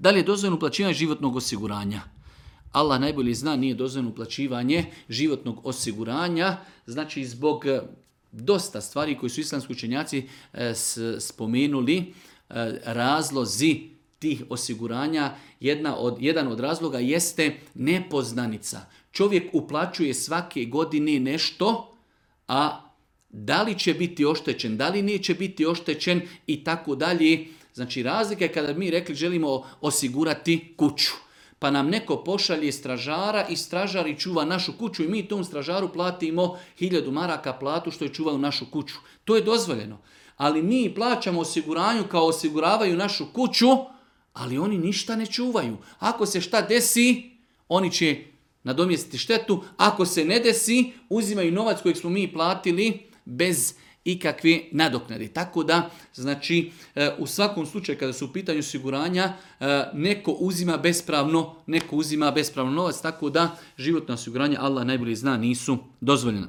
Da li je dozvoljeno uplaćivanje životnog osiguranja? Allah najbolje zna, nije dozvoljeno uplaćivanje životnog osiguranja, znači zbog dosta stvari koje su islamski učenjaci spomenuli, razlozi tih osiguranja, jedan od razloga jeste nepoznanica. Čovjek uplaćuje svake godine nešto, a da li će biti oštećen, da li neće biti oštećen i tako dalje. Znači razlika je kada mi rekli želimo osigurati kuću. Pa nam neko pošalje stražara i stražari čuva našu kuću i mi tom stražaru platimo 1000 maraka platu što je čuvao našu kuću. To je dozvoljeno. Ali mi plaćamo osiguranju kao osiguravaju našu kuću, ali oni ništa ne čuvaju. Ako se šta desi, oni će nadomjestiti štetu. Ako se ne desi, uzimaju novac kojeg smo mi platili bez ikakve nadoknade. Tako da, znači, u svakom slučaju kada su u pitanju osiguranja, neko uzima bespravno novac, tako da životna osiguranja, Allah najbolje zna, nisu dozvoljena.